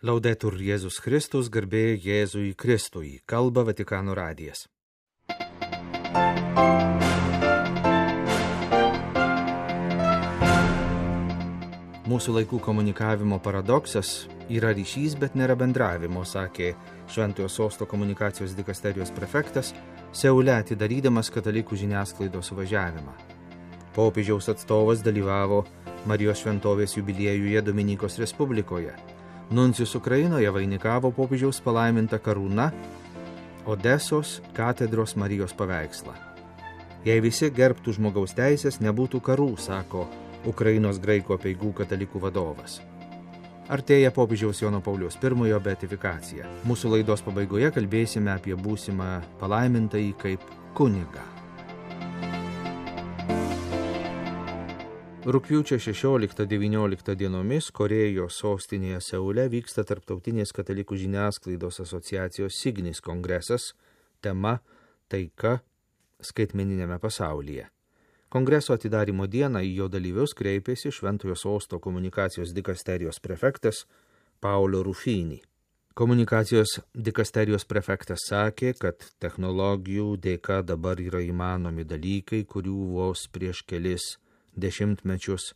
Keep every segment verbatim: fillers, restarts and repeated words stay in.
Laudetur Jėzus Kristus, garbė Jėzui Kristui, kalba Vatikano radijas. Mūsų laikų komunikavimo paradoksas yra ryšys, bet nėra bendravimo, sakė Šventojo Sosto komunikacijos dikasterijos prefektas, Seule atidarydamas katalikų žiniasklaidos suvažiavimą. Popiežiaus atstovas dalyvavo Marijos šventovės jubiliejuje Dominikos Respublikoje. Nuncijus Ukrainoje vainikavo popiežiaus palaimintą karūną Odesos katedros Marijos paveikslą. Jei visi gerbtų žmogaus teisės, nebūtų karų, sako Ukrainos graikų apeigų katalikų vadovas. Artėja popiežiaus Jono Pauliaus pirmojo beatifikacija. Mūsų laidos pabaigoje kalbėsime apie būsimą palaimintąjį kaip kunigą. Rugpjūčio šešioliktą devynioliktą dienomis Korėjos sostinėje Seule vyksta Tarptautinės katalikų žiniasklaidos asociacijos Signis kongresas, tema Taika skaitmeniniame pasaulyje. Kongreso atidarymo dieną į jo dalyvius kreipėsi Šventojo Sosto komunikacijos dikasterijos prefektas Paolo Rufini. Komunikacijos dikasterijos prefektas sakė, kad technologijų dėka dabar yra įmanomi dalykai, kurių vos prieš kelis dešimtmečius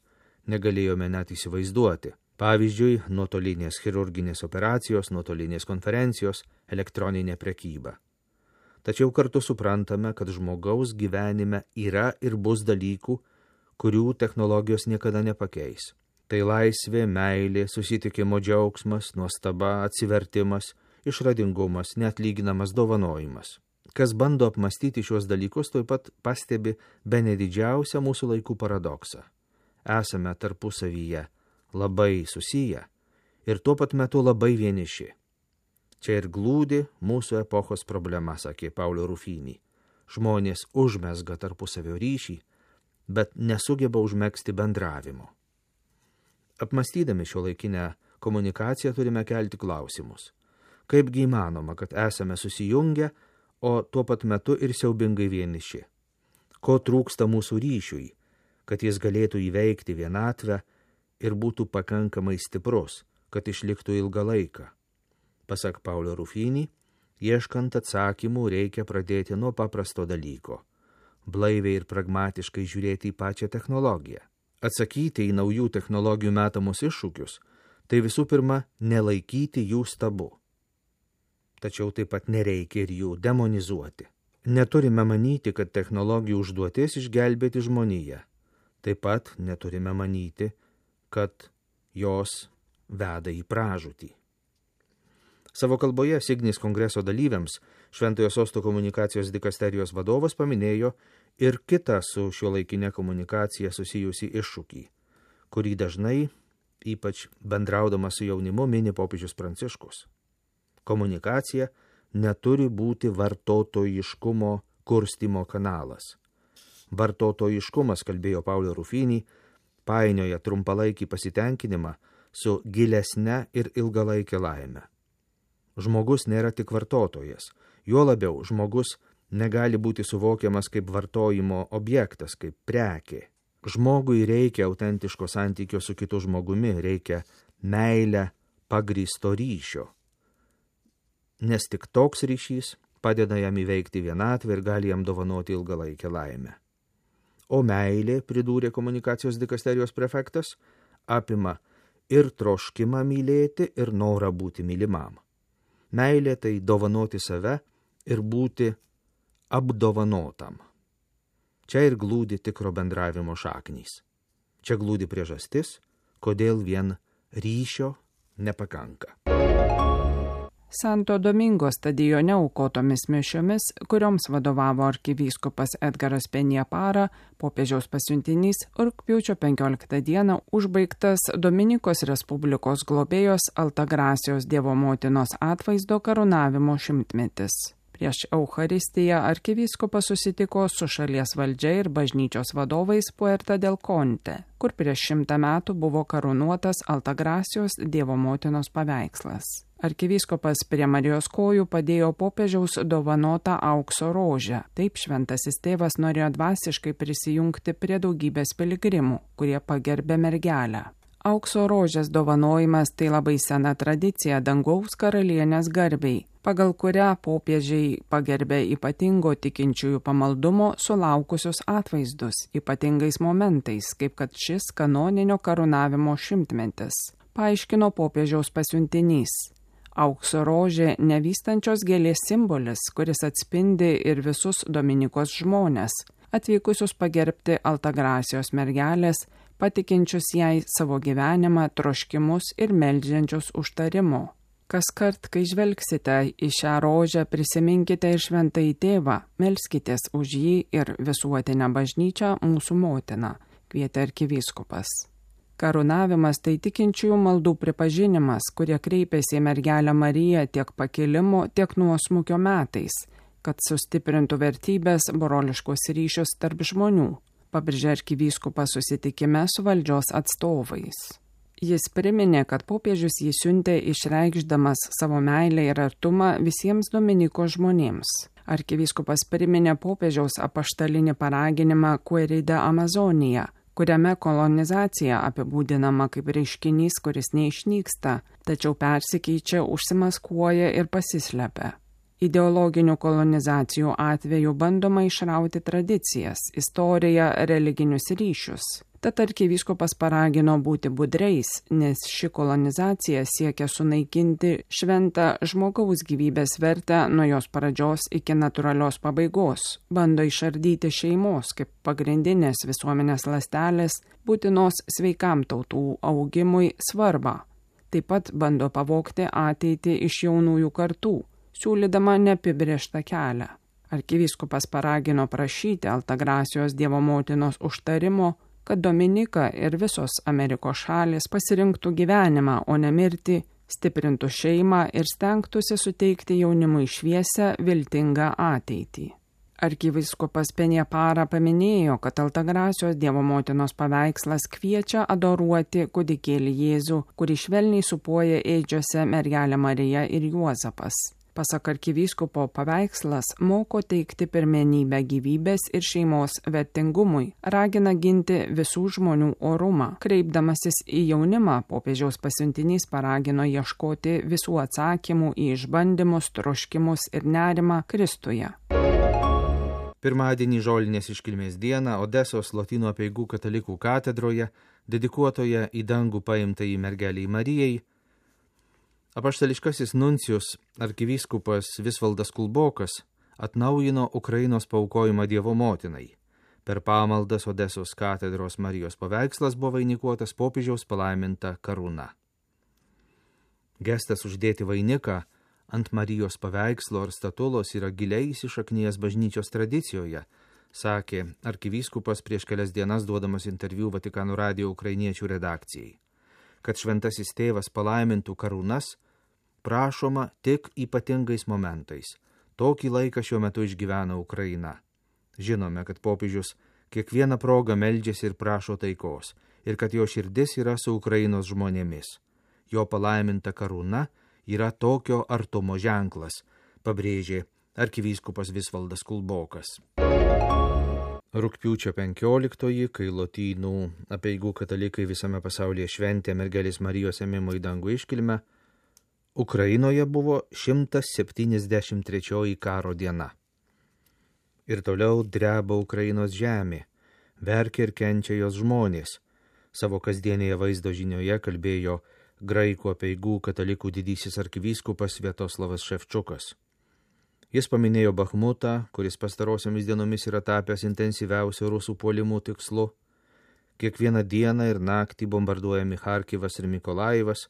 negalėjome net įsivaizduoti. Pavyzdžiui, nuotolinės chirurginės operacijos, nuotolinės konferencijos, elektroninė prekyba. Tačiau kartu suprantame, kad žmogaus gyvenime yra ir bus dalykų, kurių technologijos niekada nepakeis. Tai laisvė, meilė, susitikimo džiaugsmas, nuostaba, atsivertimas, išradingumas, neatlyginamas dovanojimas. Kas bando apmastyti šios dalykus, taip pat pastebi bene didžiausią mūsų laikų paradoksą. Esame tarpusavyje labai susiję ir tuo pat metu labai vieniši. Čia ir glūdi mūsų epochos problema, sakė Paolo Rufini. Žmonės užmezga tarpusavio ryšį, bet nesugeba užmegzti bendravimo. Apmastydami šiuolaikinę komunikaciją turime kelti klausimus. Kaipgi įmanoma, kad esame susijungę, o tuo pat metu ir siaubingai vieniši. Ko trūksta mūsų ryšiui, kad jis galėtų įveikti vienatvę ir būtų pakankamai stiprus, kad išliktų ilgą laiką. Pasak Paolo Rufini, ieškant atsakymų reikia pradėti nuo paprasto dalyko – blaiviai ir pragmatiškai žiūrėti į pačią technologiją. Atsakyti į naujų technologijų metamus iššūkius – tai visų pirma nelaikyti jų stabu. Tačiau taip pat nereikia ir jų demonizuoti. Neturime manyti, kad technologijų užduotis išgelbėti žmoniją. Taip pat neturime manyti, kad jos veda į pražūtį. Savo kalboje Signis kongreso dalyviams Šventojo Sosto komunikacijos dikasterijos vadovas paminėjo ir kitą su šiuolaikinė komunikacija susijusį iššūkį, kurį dažnai, ypač bendraudamas su jaunimu, mini popiežius Pranciškus. Komunikacija neturi būti vartotojiškumo kurstymo kanalas. Vartotojiškumas, kalbėjo Paolo Rufini, painioja trumpalaikį pasitenkinimą su gilesne ir ilgalaikė laime. Žmogus nėra tik vartotojas, juo labiau žmogus negali būti suvokiamas kaip vartojimo objektas, kaip prekė. Žmogui reikia autentiško santykio su kitu žmogumi, reikia meilę pagrįsto ryšio. Nes tik toks ryšys padeda jam įveikti vienatvę ir gali jam dovanoti ilgalaikę laimę. O meilė, pridūrė komunikacijos dikasterijos prefektas, apima ir troškimą mylėti, ir norą būti mylimam. Meilė tai dovanoti save ir būti apdovanotam. Čia ir glūdi tikro bendravimo šaknys. Čia glūdi priežastis, kodėl vien ryšio nepakanka. Santo Domingo stadione aukotomis mišiomis, kurioms vadovavo arkivyskupas Edgaras Peniapara, popiežiaus pasiuntinys, rugpjūčio penkioliktą dieną užbaigtas Dominikos Respublikos globėjos Altagrasijos Dievo motinos atvaizdo karūnavimo šimtmetis. Prieš Eucharistiją arkivyskupas susitiko su šalies valdžia ir bažnyčios vadovais Puerta del Conte, kur prieš šimtą metų buvo karūnuotas Altagrasijos Dievo motinos paveikslas. Arkivyskupas prie Marijos kojų padėjo popiežiaus dovanotą aukso rožę. Taip šventasis tėvas norėjo dvasiškai prisijungti prie daugybės piligrimų, kurie pagerbė mergelę. Aukso rožės dovanojimas tai labai sena tradicija dangaus karalienės garbiai, pagal kurią popiežiai pagerbė ypatingo tikinčiųjų pamaldumo sulaukusius atvaizdus ypatingais momentais, kaip kad šis kanoninio karūnavimo šimtmetis, paaiškino popiežiaus pasiuntinys. Aukso rožė nevystančios gėlės simbolis, kuris atspindi ir visus Dominikos žmonės, atvykusius pagerbti Altagrasijos mergelės, patikinčius jai savo gyvenimą, troškimus ir meldžiančius užtarimo. Kaskart, kai žvelgsite į šią rožę, prisiminkite ir šventąjį tėvą, melskitės už jį ir visuotinę bažnyčią mūsų motiną, kvietė arkivyskupas. Karūnavimas tai tikinčiųjų maldų pripažinimas, kurie kreipėsi į mergelę Mariją tiek pakilimo, tiek nuosmukio metais, kad sustiprintų vertybės broliškos ryšius tarp žmonių, pabrėžė arkivyskupas susitikime su valdžios atstovais. Jis priminė, kad popiežius jį siuntė išreikšdamas savo meilę ir artumą visiems Dominiko žmonėms. Arkivyskupas priminė popiežiaus apaštalinį paraginimą Querida Amazonija, kuriame kolonizacija apibūdinama kaip reiškinys, kuris neišnyksta, tačiau persikeičia, užsimaskuoja ir pasislepia. Ideologinių kolonizacijų atveju bandoma išrauti tradicijas, istoriją, religinius ryšius. Tad arkivyskupas paragino būti budreis, nes ši kolonizacija siekia sunaikinti šventą žmogaus gyvybės vertę nuo jos pradžios iki natūralios pabaigos, bando išardyti šeimos kaip pagrindinės visuomenės ląstelės, būtinos sveikam tautų augimui svarbą. Taip pat bando pavogti ateitį iš jaunųjų kartų, siūlydama neapibrėžtą kelią. Arkivyskupas paragino prašyti Altagrasijos Dievo motinos užtarimo, kad Dominika ir visos Amerikos šalys pasirinktų gyvenimą, o ne mirtį, stiprintų šeimą ir stengtųsi suteikti jaunimui šviesią, viltingą ateitį. Arkivyskupas Penjapara paminėjo, kad Altagrasijos Dievo motinos paveikslas kviečia adoruoti kūdikėlį Jėzų, kurį švelniai supuoja ėdžiose mergelė Marija ir Juozapas. Pasak arkivyskupo, paveikslas moko teikti pirmenybę gyvybės ir šeimos vertingumui, ragina ginti visų žmonių orumą. Kreipdamasis į jaunimą, popiežiaus pasiuntinys paragino ieškoti visų atsakymų į išbandymus, troškimus ir nerimą Kristuje. Pirmadienį žolinės iškilmės dieną Odesos Lotynų apeigų katalikų katedroje, dedikuotoje į dangų paimtai mergeliai Marijai, apaštališkasis nuncijus arkivyskupas Visvaldas Kulbokas atnaujino Ukrainos paaukojimą Dievo motinai. Per pamaldas Odesos katedros Marijos paveikslas buvo vainikuotas popiežiaus palaiminta karūna. Gestas uždėti vainiką ant Marijos paveikslo ar statulos yra giliai įsišaknijęs bažnyčios tradicijoje, sakė arkivyskupas prieš kelias dienas duodamas interviu Vatikano radijo ukrainiečių redakcijai. Kad šventasis tėvas palaimintų karūnas, prašoma tik ypatingais momentais. Tokį laiką šiuo metu išgyvena Ukraina. Žinome, kad popiežius kiekvieną progą meldžiasi ir prašo taikos, ir kad jo širdis yra su Ukrainos žmonėmis. Jo palaiminta karūna yra tokio artumo ženklas, pabrėžė arkivyskupas Visvaldas Kulbokas. Rugpjūčio penkioliktoji, kai Lotynų apeigų katalikai visame pasaulyje šventė mergelės Marijos ėmimo į dangų iškilmę, Ukrainoje buvo šimtas septyniasdešimt trečioji karo diena. Ir toliau dreba Ukrainos žemė, verkia ir kenčia jos žmonės. Savo kasdienėje vaizdo žinioje kalbėjo graikų apeigų katalikų didysis arkivyskupas Sviatoslavas Ševčukas. Jis paminėjo Bachmutą, kuris pastarosiomis dienomis yra tapęs intensyviausių rusų puolimų tikslu. Kiekvieną dieną ir naktį bombarduojami Charkivas ir Mikolajivas,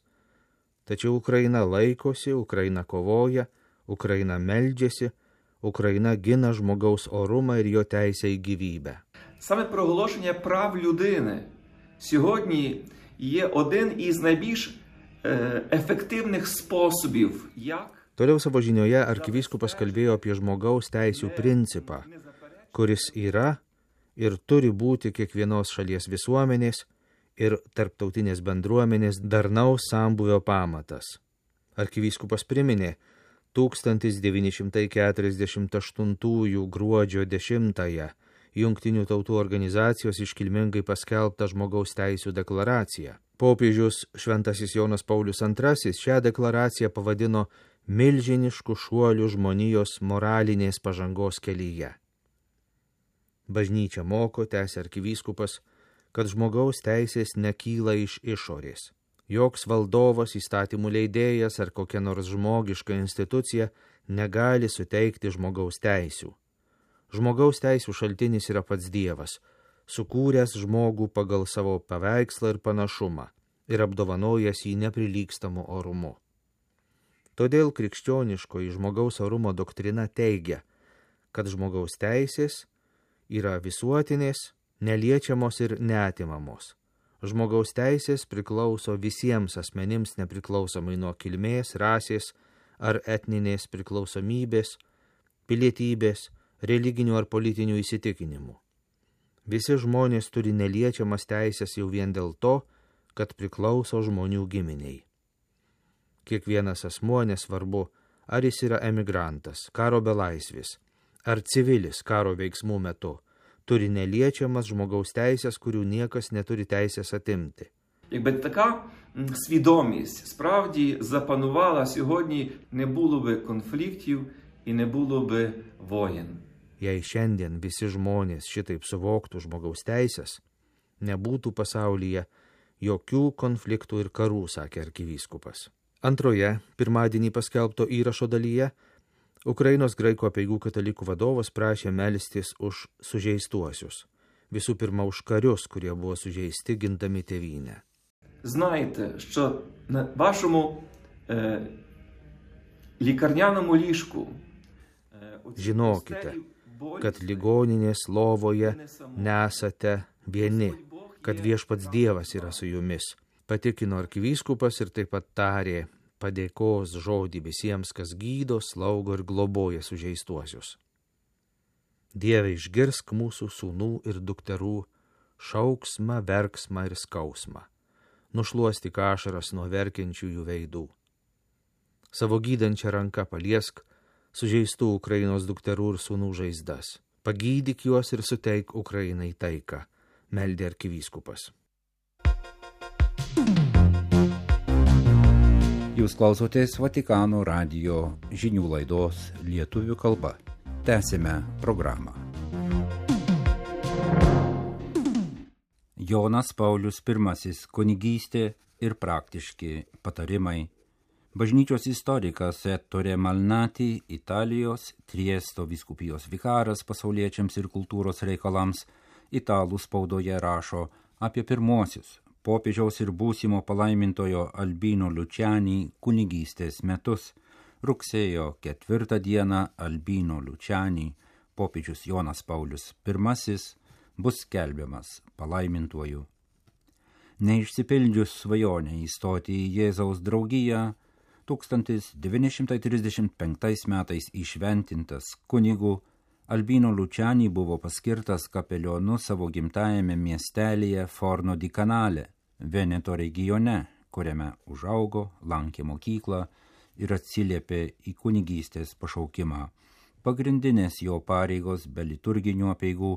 tačiau Ukraina laikosi, Ukraina kovoja, Ukraina meldžiasi, Україна гина žmogaus orumą ir jo teisę į gyvybę. Саме проголошення прав людини сьогодні є один із найбільш ефективних способів, як... Toliau savo žinioje arkivyskupas kalbėjo apie žmogaus teisių principą, kuris yra ir turi būti kiekvienos šalies visuomenės ir tarptautinės bendruomenės darnaus sambūvio pamatas. Arkivyskupas priminė tūkstantis devyni šimtai keturiasdešimt aštuntųjų gruodžio dešimtąją Jungtinių tautų organizacijos iškilmingai paskelbtą žmogaus teisių deklaraciją. Popiežius Šventasis Jonas Paulius antrasis šią deklaraciją pavadino milžinišku šuoliu žmonijos moralinės pažangos kelyje. Bažnyčia moko, tęsia arkivyskupas, kad žmogaus teisės nekyla iš išorės. Joks valdovas, įstatymų leidėjas ar kokia nors žmogiška institucija negali suteikti žmogaus teisių. Žmogaus teisių šaltinis yra pats Dievas, sukūręs žmogų pagal savo paveikslą ir panašumą ir apdovanojęs jį neprilygstamu orumu. Todėl krikščioniškoji žmogaus orumo doktrina teigia, kad žmogaus teisės yra visuotinės, neliečiamos ir neatimamos. Žmogaus teisės priklauso visiems asmenims nepriklausomai nuo kilmės, rasės ar etninės priklausomybės, pilietybės, religinių ar politinių įsitikinimų. Visi žmonės turi neliečiamas teisės jau vien dėl to, kad priklauso žmonių giminiai. Kiekvienas asmuo, nesvarbu, ar jis yra emigrantas, karo belaisvis, ar civilis karo veiksmų metu, turi neliečiamas žmogaus teisės, kurių niekas neturi teisės atimti. Якби така свідомість справді запанувала, сьогодні не було би конфліктів і не було би воєн. Jei šiandien visi žmonės šitaip suvoktų žmogaus teisės, nebūtų pasaulyje jokių konfliktų ir karų, sakė arkivyskupas. Antroje, pirmadienį paskelbto įrašo dalyje, Ukrainos graikų apeigų katalikų vadovas prašė melstis už sužeistuosius. Visų pirma, už karius, kurie buvo sužeisti gindami tėvynę. Знаєте, що на вашому е, лікарняному ліжку е, Žinokite, kad ligoninės lovoje nesate vieni, kad viešpats Dievas yra su jumis, patikino arkivyskupas ir taip pat tarė padėkos žodį visiems, kas gydo, slaugo ir globoja sužeistuosius. Dieve, išgirsk mūsų sūnų ir dukterų šauksmą, verksmą ir skausmą. Nušluostyk ašaras nuo verkiančiųjų veidų. Savo gydančią ranką paliesk sužeistų Ukrainos dukterų ir sūnų žaizdas. Pagydyk juos ir suteik Ukrainai taiką, meldė arkivyskupas. Jūs klausotės Vatikano radijo žinių laidos lietuvių kalba. Tęsime programą. Jonas Paulius pirmasis kunigystė ir praktiški patarimai. Bažnyčios istorikas Ettore Malnati, Italijos Triesto vyskupijos vikaras pasauliečiams ir kultūros reikalams, italų spaudoje rašo apie pirmosius popiežiaus ir būsimo palaimintojo Albino Luciani kunigystės metus. Rugsėjo ketvirtą dieną Albino Luciani, popiežius Jonas Paulius pirmasis, bus skelbiamas palaimintuoju. Neišsipildžius svajonę įstoti į Jėzaus draugiją, tūkstantis devyni šimtai trisdešimt penktais metais įšventintas kunigu, Albino Luciani buvo paskirtas kapelionu savo gimtajame miestelyje Forno di Canale, Veneto regione, kuriame užaugo, lankė mokyklą ir atsiliepė į kunigystės pašaukimą. Pagrindinės jo pareigos be liturginių apeigų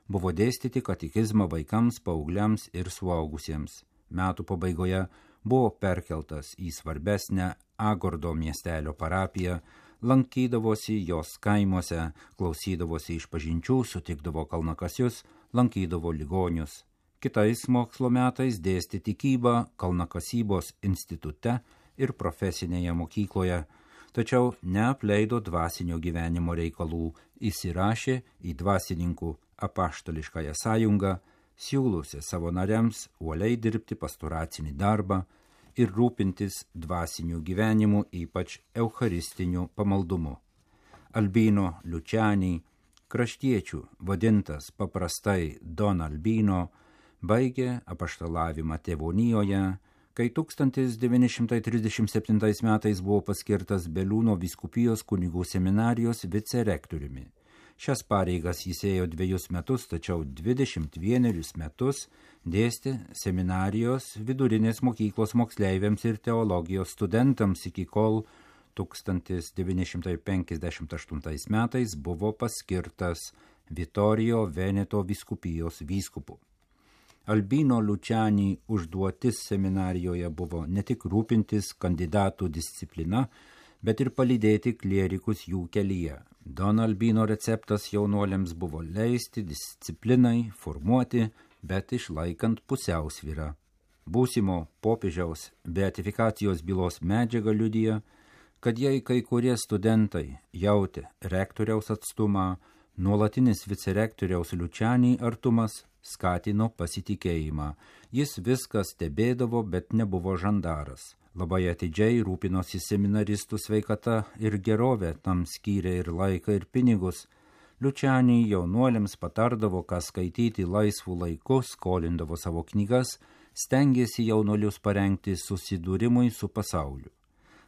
buvo dėstyti katekizmą vaikams, paaugliams ir suaugusiems. Metų pabaigoje buvo perkeltas į svarbesnę Agordo miestelio parapiją, lankydavosi jos kaimuose, klausydavosi išpažinčių, sutikdavo kalnakasius, lankydavo ligonius. Kitais mokslo metais dėstė tikybą kalnakasybos institute ir profesinėje mokykloje, tačiau neapleido dvasinio gyvenimo reikalų, įsirašė į dvasininkų apaštališkąją sąjungą, siūlusi savo nariams uoliai dirbti pastoracinį darbą ir rūpintis dvasiniu gyvenimu, ypač eucharistiniu pamaldumu. Albino Luciani, kraštiečių vadintas paprastai Don Albino, baigė apaštalavimą tėvonijoje, kai tūkstantis devyni šimtai trisdešimt septintais metais buvo paskirtas Beliūno vyskupijos kunigų seminarijos vicerektoriumi. Šias pareigas jis ėjo dviejus metus, tačiau dvidešimt vienerius metus dėstė seminarijos vidurinės mokyklos moksleiviams ir teologijos studentams, iki kol tūkstantis devyni šimtai penkiasdešimt aštuntais metais buvo paskirtas Vittorio Veneto vyskupijos vyskupu. Albino Lučianį užduotis seminarijoje buvo ne tik rūpintis kandidatų disciplina, bet ir palydėti klierikus jų kelyje. Don Albino receptas jaunuoliams buvo leisti disciplinai formuoti, bet išlaikant pusiausvyrą. Būsimo popiežiaus beatifikacijos bylos medžiaga liudija, kad jei kai kurie studentai jautė rektoriaus atstumą, nuolatinis vicerektoriaus Lučianį artumas skatino pasitikėjimą. Jis viską stebėdavo, bet nebuvo žandaras. Labai atidžiai rūpinosi seminaristų sveikata ir gerovė, tam skyrė ir laiką, ir pinigus. Lučianį jaunuoliams patardavo, ką skaityti laisvų laiku, skolindavo savo knygas, stengėsi jaunuolius parengti susidūrimui su pasauliu.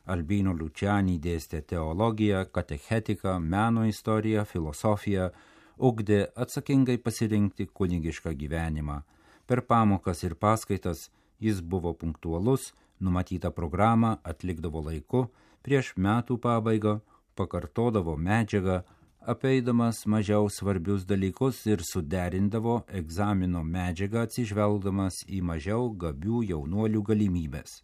Albino Lučianį dėstė teologiją, katechetiką, meno istoriją, filosofiją, ugdė atsakingai pasirinkti kunigišką gyvenimą. Per pamokas ir paskaitas jis buvo punktualus, numatytą programą atlikdavo laiku, prieš metų pabaigą pakartodavo medžiagą, apeidamas mažiau svarbius dalykus ir suderindavo egzamino medžiagą atsižvelgdamas į mažiau gabių jaunuolių galimybės.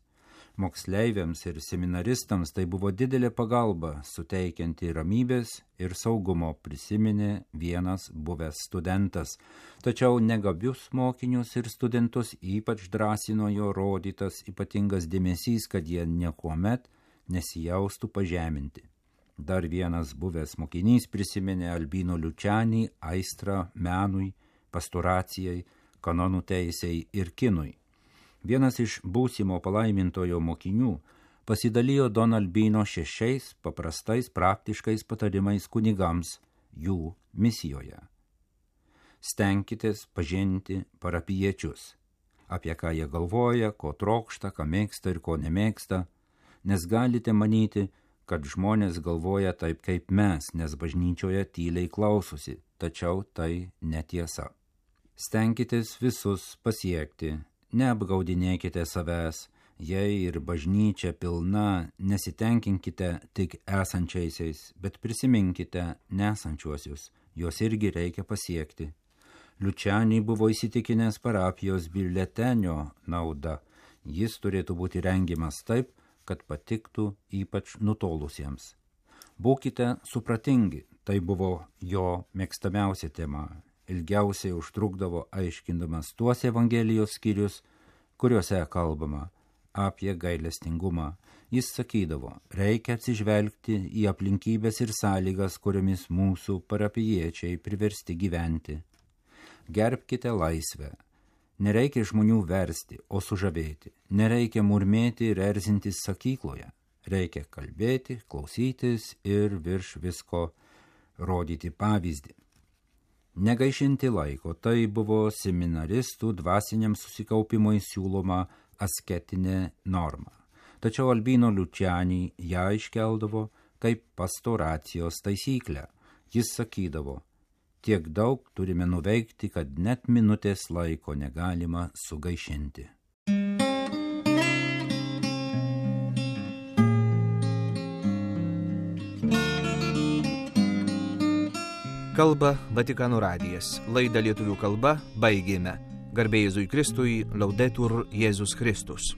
Moksleiviams ir seminaristams tai buvo didelė pagalba, suteikianti ramybės ir saugumo, prisiminė vienas buvęs studentas. Tačiau negabius mokinius ir studentus ypač drąsino jo rodytas ypatingas dėmesys, kad jie niekuomet nesijaustų pažeminti. Dar vienas buvęs mokinys prisiminė Albino Lučianį aistrą menui, pastoracijai, kanonų teisei ir kinui. Vienas iš būsimo palaimintojo mokinių pasidalijo Don Albino šešiais paprastais praktiškais patarimais kunigams jų misijoje. Stenkitės pažinti parapijiečius, apie ką jie galvoja, ko trokšta, ką mėgsta ir ko nemėgsta, nes galite manyti, kad žmonės galvoja taip kaip mes, nes bažnyčioje tyliai klausosi, tačiau tai netiesa. Stenkitės visus pasiekti. Neapgaudinėkite savęs, jei ir bažnyčia pilna, nesitenkinkite tik esančiaisiais, bet prisiminkite nesančiuosius, juos irgi reikia pasiekti. Lučianį buvo įsitikinęs parapijos biuletenio nauda, jis turėtų būti rengiamas taip, kad patiktų ypač nutolusiems. Būkite supratingi, tai buvo jo mėgstamiausia tema. Ilgiausiai užtrukdavo aiškindamas tuos Evangelijos skyrius, kuriuose kalbama apie gailestingumą. Jis sakydavo, reikia atsižvelgti į aplinkybės ir sąlygas, kuriomis mūsų parapijiečiai priversti gyventi. Gerbkite laisvę. Nereikia žmonių versti, o sužavėti. Nereikia murmėti ir erzintis sakykloje. Reikia kalbėti, klausytis ir virš visko rodyti pavyzdį. Negaišinti laiko, tai buvo seminaristų dvasiniam susikaupimui siūloma asketinė norma. Tačiau Albino Lučianį ją iškeldavo kaip pastoracijos taisyklę. Jis sakydavo, tiek daug turime nuveikti, kad net minutės laiko negalima sugaišinti. Kalba Vatikano radijas. Laidą lietuvių kalba baigėme. Garbė Jėzui Kristui, Laudetur Jėzus Kristus.